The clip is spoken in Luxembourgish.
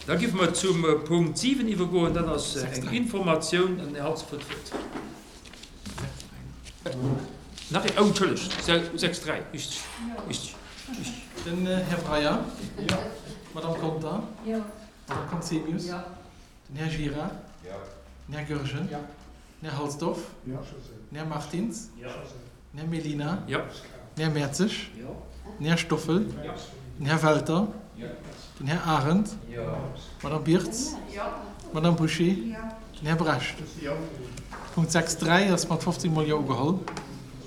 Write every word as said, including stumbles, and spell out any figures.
Da géife mer zum Punkt siwen iwwergoen. Dat ass eng Informatioun. An den Här Halsdorf huet d'Wuert. Nach een? Oh, entschëllegt, sechs dräi, richteg, richteg, richteg. Den Här Breyer. Jo. D'Madame Conter. Jo. D'Madame Conzemius. Jo. Den Här Gira. Jo. Den Här Goergen. Jo. Den Här Halsdorf. Jo. Den Här Martins. Jo. Den Här Mellina. Jo. Den Här Mertzig. Jo. Den Här Stoffel. Jo. Den Här Welter. Jo. Den Här Arendt. Jo. D'Madame Birtz. Jo. D'Madame Bouché. Jo. Den Här Brecht. Jo. Punkt sechs dräi ass mat fofzéng mol Jo ugeholl.